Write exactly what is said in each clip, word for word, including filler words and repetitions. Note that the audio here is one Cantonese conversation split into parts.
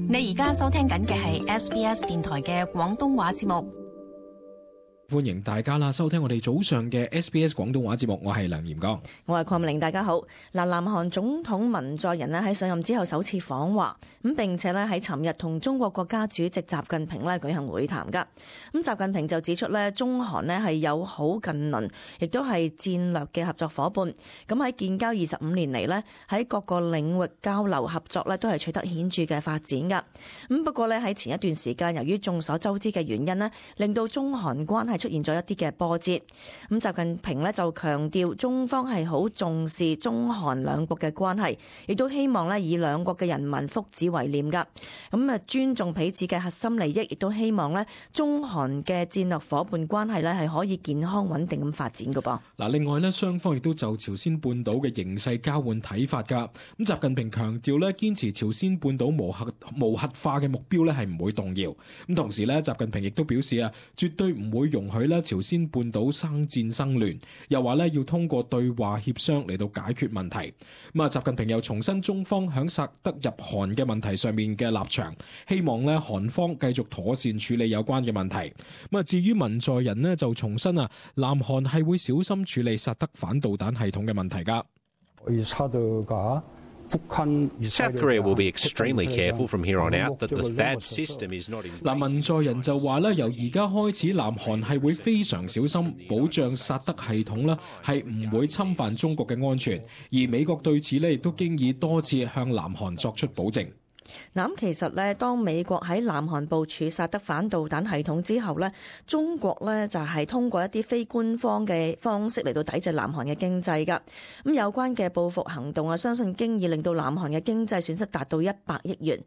你而家收聽緊嘅係 S B S 電台嘅廣東話節目。歡迎大家啦，收聽我哋早上嘅 S B S 廣東話節目，我係梁炎剛，我係鄺美玲，大家好。嗱，南韓總統文在寅咧喺上任之後首次訪華，咁並且咧喺尋日同中國國家主席習近平咧舉行會談噶。咁習近平就指出咧，中韓咧係友好近鄰，亦都係戰略嘅合作伙伴。咁喺建交二十五年嚟咧，喺各個領域交流合作咧都係取得顯著嘅發展噶。咁不過咧喺前一段時間，由於眾所周知嘅原因咧，令到中韓關係出現咗一啲嘅波折，咁習近平咧就強調中方係好重視中韓兩國嘅關係，亦都希望咧以兩國嘅人民福祉為念噶，咁啊尊重彼此嘅核心利益，亦都希望咧中韓嘅戰略夥伴關係咧係可以健康穩定咁發展噶噃。嗱，另外咧雙方亦都就朝鮮半島嘅形勢交換睇法噶，咁習近平強調咧堅持朝鮮半島無核無核化嘅目標咧係唔會動搖，咁同時咧習近平亦都表示啊，絕對唔會容許咧朝鮮半島生戰生亂，又話咧要通過對話協商嚟到解決問題。咁啊，習近平又重申中方響薩德入韓嘅問題上面嘅立場，希望咧韓方繼續妥善處理有關嘅問題。咁啊，至於文在寅咧就重申啊，南韓係會小心處理薩德反導彈系統嘅問題噶。 South Korea will be extremely careful from here on out that the T H A D system is not in place. 嗱，文在寅就話咧，由而家開始，南韓係會非常小心保障薩德系統咧，係唔會侵犯中國嘅安全。而美國對此咧，亦都經已多次向南韓作出保證。嗱，咁其實咧，當美國喺南韓部署薩德反導彈系統之後咧，中國咧就係通過一啲非官方嘅方式嚟到抵制南韓嘅經濟㗎。咁有關嘅報復行動啊，相信經已令到南韓嘅經濟損失達到一百億元。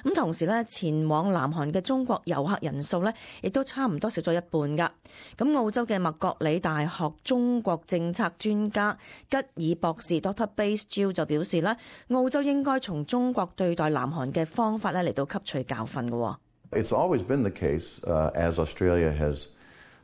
咁同時咧，前往南韓嘅中國遊客人數咧，亦都差唔多少咗一半㗎。咁澳洲嘅麥覺理大學中國政策專家吉爾博士 Doctor Bass Gill 就表示咧，澳洲應該從中國對待南韓嘅方法咧嚟到吸取教訓嘅。It's always been the case, uh, as Australia has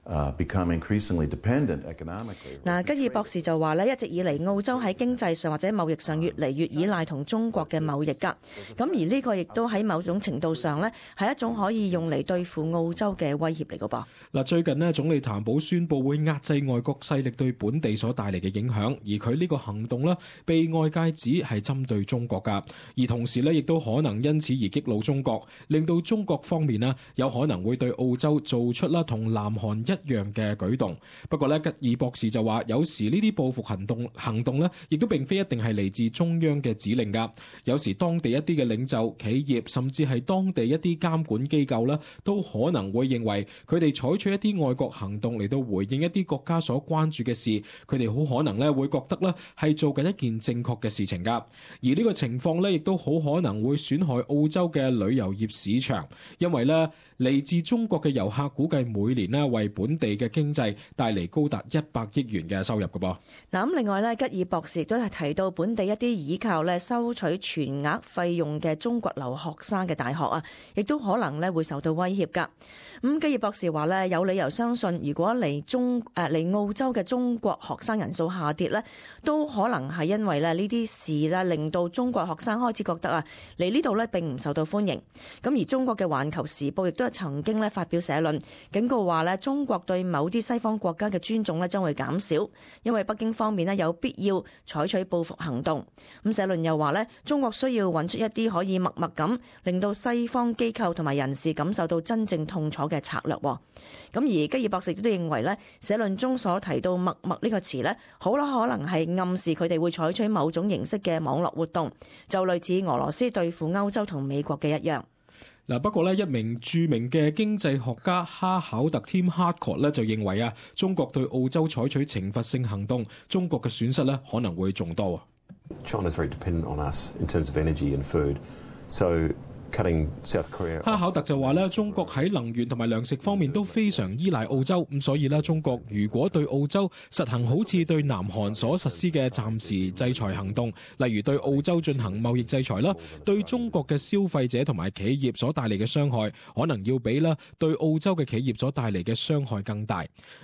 Uh, become increasingly dependent economically. 嗱，吉爾博士就話咧，一直以嚟澳洲喺經濟上或者貿易上越嚟越依賴同中國嘅貿易㗎。咁而呢個亦都喺某種程度上咧，係一種可以用嚟對付澳洲嘅威脅嚟嘅噃。嗱，最近呢，總理譚寶宣布會壓制外國勢力對本地所帶嚟嘅影響，而佢呢個行動呢，被外界指係針對中國㗎，而同時呢，亦都可能因此而激怒中國，令到中國方面呢，有可能會對澳洲做出啦同南韓一一樣嘅舉動。不過咧，吉爾博士就話，有時呢啲報復行動行動咧，亦都並非一定係嚟自中央嘅指令噶。有時當地一啲嘅領袖、企業，甚至係當地一啲監管機構咧，都可能會認為佢哋採取一啲外國行動嚟到回應一啲國家所關注嘅事，佢哋好可能咧會覺得咧係做緊一件正確嘅事情噶。而呢個情況咧，亦都好可能會損害澳洲嘅旅遊業市場，因為咧嚟自中國嘅遊客估計每年咧為本地嘅經濟帶嚟高達一百億元嘅收入嘅噃。嗱，咁另外咧，吉爾博士都係提到本地一啲依靠咧收取全額費用嘅中國留學生嘅大學啊，亦都可能咧會受到威脅噶。咁吉爾博士話咧，有理由相信，如果嚟中誒嚟澳洲嘅中國學生人數下跌咧，都可能係因為咧呢啲事咧令到中國學生開始覺得啊嚟呢度咧並唔受到歡迎。咁而中國嘅《環球時報》亦都係曾經咧發表社論警告話咧，中國對某啲西方國家嘅尊重咧將會減少，因為北京方面咧有必要採取報復行動。咁社論又話咧，中國需要揾出一啲可以默默咁令到西方機構同埋人士感受到真正痛楚嘅策略。咁而吉爾博士都認為咧，社論中所提到默默呢個詞咧，好啦可能係暗示佢哋會採取某種形式嘅網絡活動，就類似俄羅斯對付歐洲同美國嘅一樣。嗱，不過咧，一名著名嘅經濟學家哈考特 Tim Harcourt 咧就認為啊，中國對澳洲採取懲罰性行動，中國嘅損失咧可能會仲多。China's very dependent on us in terms of energy and food, so哈考特就話咧，中國喺能源同埋糧食方面都非常依賴澳洲，咁所以咧，中國如果對澳洲實行好似對南韓所實施嘅暫時制裁行動，例如對澳洲進行貿易制裁啦，對中國嘅消費者同埋企業所帶嚟嘅傷害，可能要比啦對澳洲嘅企業所帶嚟嘅傷害更大。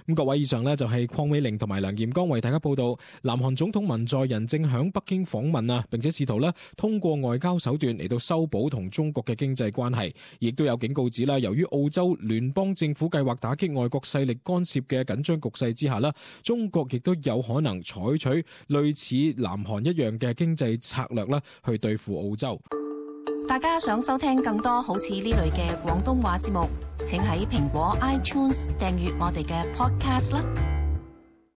咁各位，以上呢就係鄺美玲同埋梁炎剛為大家報道，南韓總統文在寅正響北京訪問啊，並且試圖咧通過外交手段嚟到修補同中國國嘅經濟關係，亦都有警告指啦，由於澳洲聯邦政府計劃打擊外國勢力干涉嘅緊張局勢之下啦，中國亦都有可能採取類似南韓一樣嘅經濟策略啦，去對付澳洲。大家想收聽更多好似呢類嘅廣東話節目，請喺蘋果 iTunes 訂閱我哋嘅 podcast 啦。